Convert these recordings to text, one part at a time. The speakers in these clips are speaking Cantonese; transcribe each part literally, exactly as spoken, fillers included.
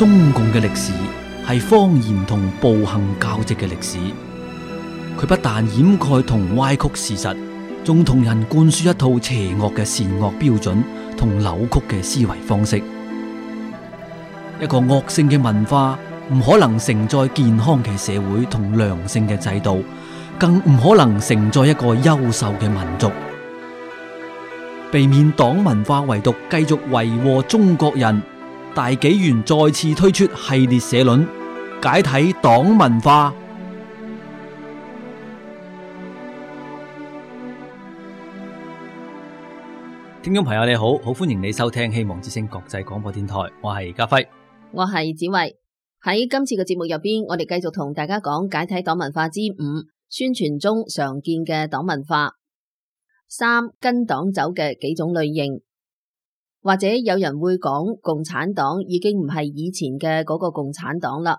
中共嘅歷史係謊言同暴行交織嘅歷史，佢不但掩蓋同歪曲事實，仲同人灌輸一套邪惡嘅善惡標準同扭曲嘅思維方式。一個惡性嘅文化唔可能承載健康嘅社會同良性嘅制度，更唔可能承載一個優秀嘅民族。避免黨文化遺毒繼續為禍中國人，大紀元再次推出系列社論，解體黨文化。聽眾朋友你好，好歡迎你收聽希望之聲國際廣播電台，我係家輝，我係子慧。喺今次嘅節目入邊，我哋繼續同大家講解體黨文化之五，宣傳中常見嘅黨文化。三、跟黨走嘅幾種類型。或者有人會講共產黨已經唔係以前嘅嗰個共產黨啦。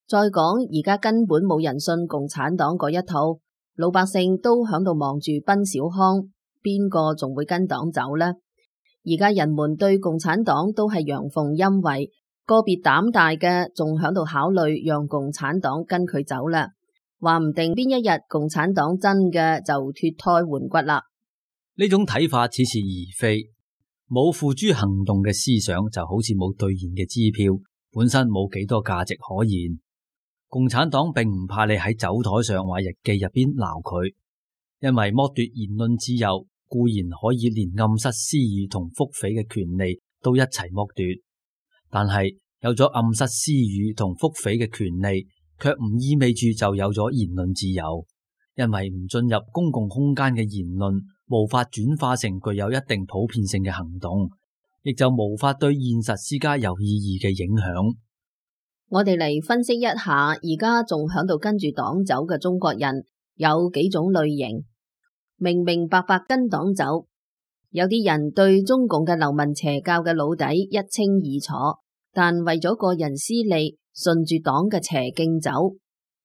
再講而家根本冇人信共產黨嗰一套，老百姓都響度忙住奔小康，邊個仲會跟黨走呢？而家人們對共產黨都係陽奉陰違，個別膽大嘅仲響度考慮讓共產黨跟佢走啦。話唔定邊一日共產黨真嘅就脫胎換骨啦。呢種睇法似是而非，冇付諸行動嘅思想就好似冇兌現嘅支票，本身冇幾多價值可言。共產黨並唔怕你喺酒台上或日記入邊鬧佢，因為剝奪言論自由固然可以連暗室私語同腹誹嘅權利都一齊剝奪，但係有咗暗室私語同腹誹嘅權利，卻唔意味住就有咗言論自由。因為唔進入公共空間嘅言論無法轉化成具有一定普遍性嘅行動，亦就無法對現實施加有意義嘅影響。我哋嚟分析一下，而家仲響度跟住黨走嘅中國人有幾種類型。明明白白跟黨走，有啲人對中共嘅流氓邪教嘅老底一清二楚，但為咗個人私利，順住黨嘅邪徑走。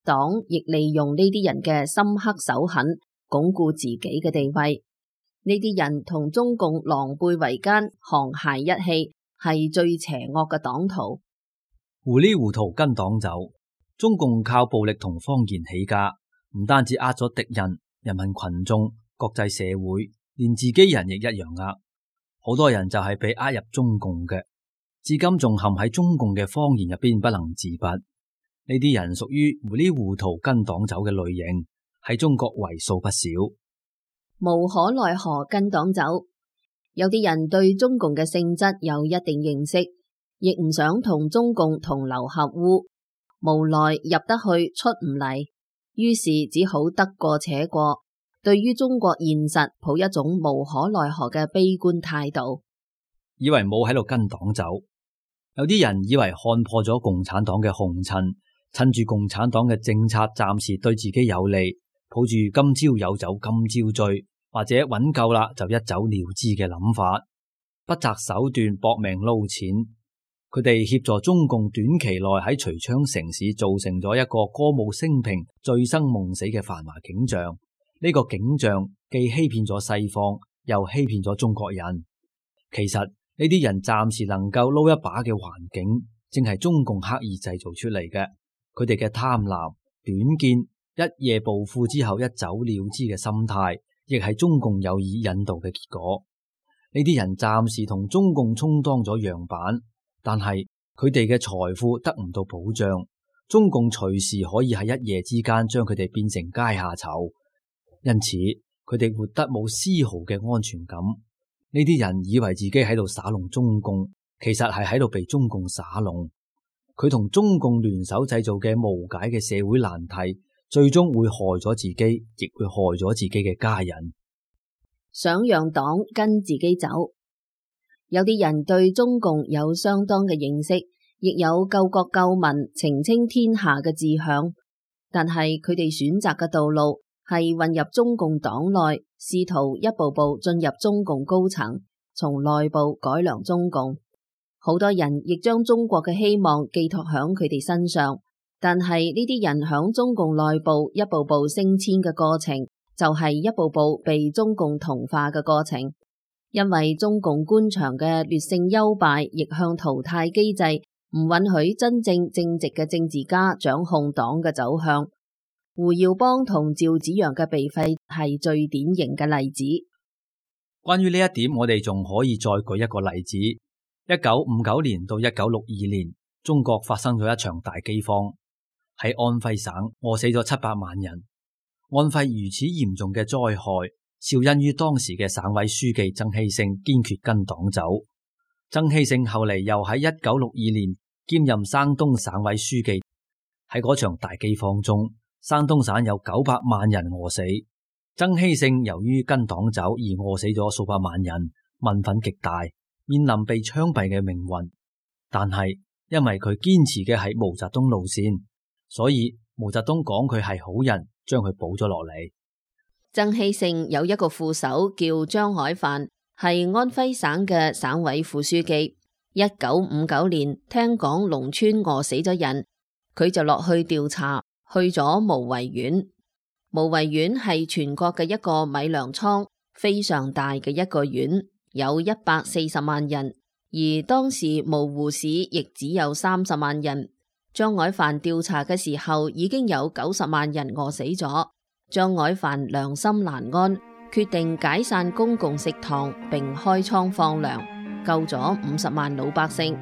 黨亦利用呢啲人嘅深刻手狠，鞏固自己嘅地位。呢啲人同中共狼狽為奸，沆瀣一氣，係最邪惡嘅黨徒。糊裡糊塗跟黨走，中共靠暴力同謊言起家，唔單止呃咗敵人、人民群眾、國際社會，連自己人亦一樣呃。好多人就係被呃入中共嘅，至今仲陷喺中共嘅謊言入邊不能自拔。呢啲人屬於糊裡糊塗跟黨走嘅類型，喺中國為數不少。無可奈何跟黨走，有啲人對中共嘅性質有一定認識，亦唔想同中共同流合污，無奈入得去出唔嚟，於是只好得過且過，對於中國現實抱一種無可奈何嘅悲觀態度，以為冇喺度跟黨走。有啲人以為看破咗共產黨嘅紅塵，趁住共產黨嘅政策暫時對自己有利，抱住今朝有酒今朝醉，或者揾夠啦就一走了之嘅諗法，不擇手段搏命撈錢。佢哋協助中共短期內喺遂昌城市造成咗一個歌舞升平、醉生夢死嘅繁華景象。呢個景象既欺騙咗西方，又欺騙咗中國人。其實呢啲人暫時能夠撈一把嘅環境，正係中共刻意製造出嚟嘅。佢哋嘅貪婪、短見、一夜暴富之後一走了之嘅心態，亦係中共有意引導嘅結果。呢啲人暫時同中共充當咗樣板，但係佢哋嘅財富得唔到保障，中共隨時可以喺一夜之間將佢哋變成階下囚，因此佢哋活得冇絲毫嘅安全感。呢啲人以為自己喺度耍弄中共，其實係喺度被中共耍弄。佢同中共聯手製造嘅無解嘅社會難題，最終會害咗自己，亦會害咗自己嘅家人。想讓黨跟自己走，有啲人對中共有相當嘅認識，亦有救國救民、澄清天下嘅志向，但係佢哋選擇嘅道路係混入中共黨內，試圖一步步進入中共高層，從內部改良中共。好多人亦將中國嘅希望寄託響佢哋身上，但係呢啲人響中共內部一步步升遷嘅過程，就係一步步被中共同化嘅過程。因為中共官場嘅劣性優敗逆向淘汰機制唔允許真正正直嘅政治家掌控黨嘅走向。胡耀邦同趙紫陽嘅被廢係最典型嘅例子。關於呢一點，我哋仲可以再舉一個例子。一九五九年到一九六二年，中國發生咗一場大饑荒，喺安徽省餓死咗七百萬人。安徽如此嚴重嘅災害，肇因於當時嘅省委書記曾希聖堅決跟黨走。曾希聖後嚟又喺一九六二年兼任山東省委書記。喺嗰場大饑荒中，山東省有九百萬人餓死。曾希聖由於跟黨走而餓死咗數百萬人，民憤極大，面臨被槍斃嘅命運。但係因為佢堅持嘅係毛澤東路線，所以毛澤東講佢係好人，將佢補咗落嚟。曾希聖有一個副手叫張海帆，係安徽省嘅省委副書記。一九五九年聽講農村餓死咗人，佢就落去調查，去咗無為縣。無為縣係全國嘅一個米糧倉，非常大嘅一個縣，有一百四十萬人，而當時蕪湖市亦只有三十萬人。張海帆調查嘅時候已經有九十萬人餓死咗。張海帆良心難安，決定解散公共食堂並開倉放糧，救咗五十萬老百姓。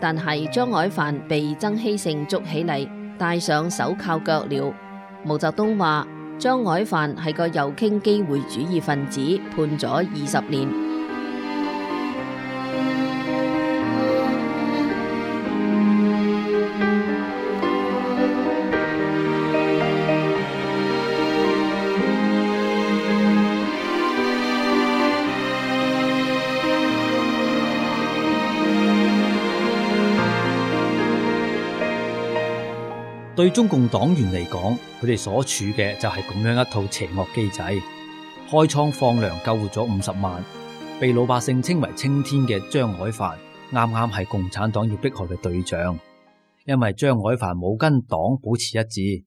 但係張海帆被曾希聖捉起嚟，戴上手銬腳鐐。毛澤東話張海帆係個右傾機會主義分子，判咗二十年。對中共黨員嚟講，佢哋所處嘅就係咁樣一套邪惡機制。開倉放糧救活咗五十萬，被老百姓稱為青天嘅張海帆，啱啱係共產黨要迫害嘅對象。因為張海帆冇跟黨保持一致，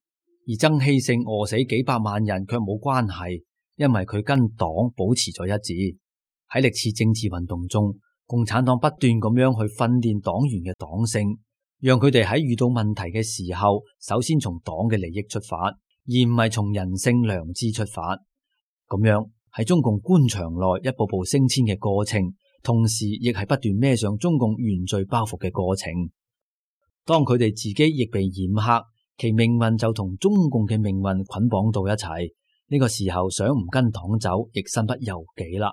而曾希聖餓死幾百萬人卻冇關係，因為佢跟黨保持咗一致。喺歷次政治運動中，共產黨不斷咁樣去訓練黨員嘅黨性，讓佢哋喺遇到問題嘅時候，首先從黨嘅利益出發，而唔係從人性良知出發。咁樣喺中共官場內一步步升遷嘅過程，同時亦係不斷孭上中共原罪包袱嘅過程。當佢哋自己亦被染黑，其命運就同中共嘅命運捆綁到一齊。呢個時候想唔跟黨走，亦身不由己啦。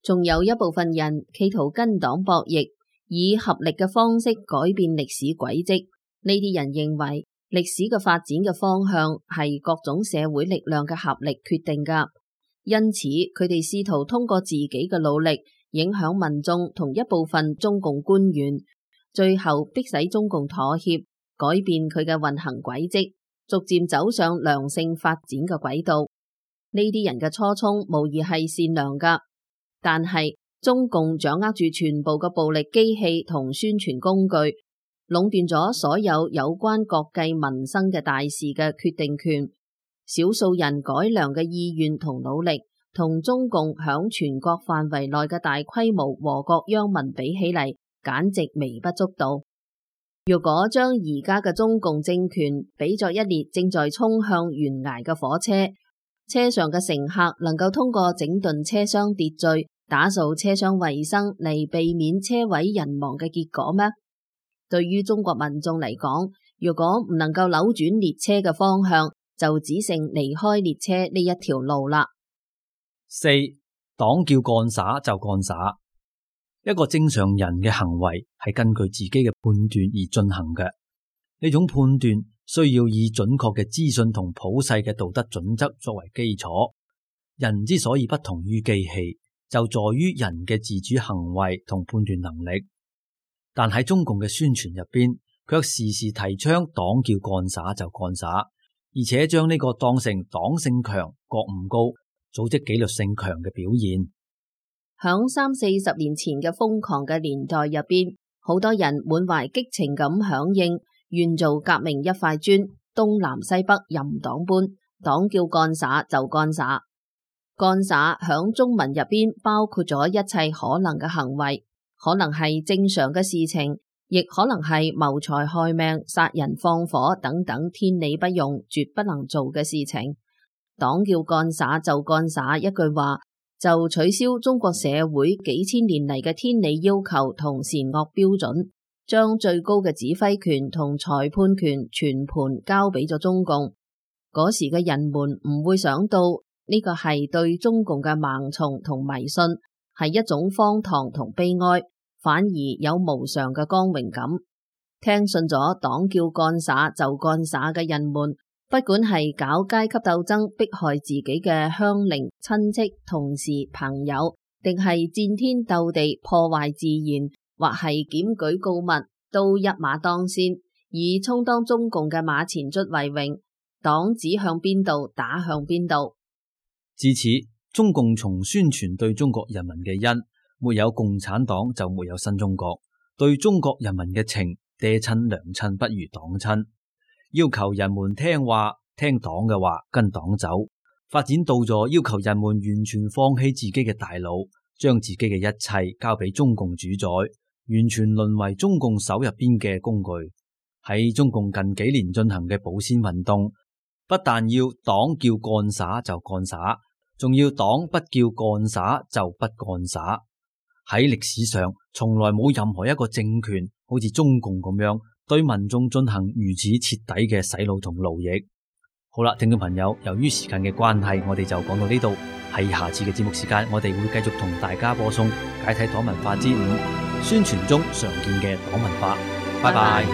仲有一部分人企圖跟黨博弈，以合力嘅方式改變歷史軌跡。呢啲人認為歷史嘅發展嘅方向係各種社會力量嘅合力決定㗎，因此佢哋試圖通過自己嘅努力影響民眾同一部分中共官員，最後迫使中共妥協，改變佢嘅運行軌跡，逐漸走上良性發展嘅軌道。呢啲人嘅初衷無疑係善良㗎，但係中共掌握住全部嘅暴力機器同宣傳工具，壟斷咗所有有關國計民生嘅大事嘅決定權。少數人改良嘅意願同努力，同中共響全國範圍內嘅大規模禍國殃民比起嚟，簡直微不足道。如果將而家嘅中共政權比作一列正在衝向懸崖嘅火車，車上嘅乘客能夠通過整頓車廂秩序，打掃車廂衛生嚟避免車毀人亡嘅結果咩？對於中國民眾嚟講，如果唔能夠扭轉列車嘅方向，就只剩離開列車呢一條路啦。四，黨叫幹灑就幹灑。一個正常人嘅行為係根據自己嘅判斷而進行嘅，呢種判斷需要以準確嘅資訊同普世嘅道德準則作為基礎。人之所以不同於機器，就在於人嘅自主行為同判斷能力。但喺中共嘅宣傳入邊，卻時時提倡黨叫幹灑就幹灑，而且將呢個當成黨性強、覺悟高、組織紀律性強嘅表現。響三四十年前嘅瘋狂嘅年代入邊，好多人滿懷激情咁響應，願做革命一塊磚，東南西北任黨搬，黨叫幹灑就幹灑。幹灑響中文入邊包括咗一切可能嘅行為，可能係正常嘅事情，亦可能係謀財害命、殺人放火等等天理不容、絕不能做嘅事情。黨叫幹灑就幹灑一句話，就取消中國社會幾千年嚟嘅天理要求同善惡標準，將最高嘅指揮權同裁判權全盤交俾咗中共。嗰時嘅人們唔會想到呢個係對中共嘅盲從同迷信，係一種荒唐同悲哀，反而有無上嘅光榮感。聽信咗黨叫幹灑就幹灑嘅人們，不管係搞階級鬥爭迫害自己嘅鄉鄰、親戚、同事、朋友，定係戰天鬥地破壞自然，或係檢舉告密，都一馬當先，以充當中共嘅馬前卒為榮。黨指向邊度，打向邊度。自此，中共從宣傳對中國人民嘅恩，沒有共產黨就沒有新中國；對中國人民嘅情，爹親娘親不如黨親。要求人們聽話，聽黨嘅話，跟黨走，發展到咗要求人們完全放棄自己嘅大腦，將自己嘅一切交俾中共主宰，完全淪為中共手入邊嘅工具。喺中共近幾年進行嘅保鮮運動，不但要黨叫幹灑就幹灑，仲要黨不叫幹灑就不幹灑。喺歷史上，從來冇任何一個政權好似中共咁樣對民眾進行如此徹底嘅洗腦同奴役。好啦，聽眾朋友，由於時間嘅關係，我哋就講到呢度。喺下次嘅節目時間，我哋會繼續同大家播送解體黨文化之五，宣傳中常見嘅黨文化。拜拜。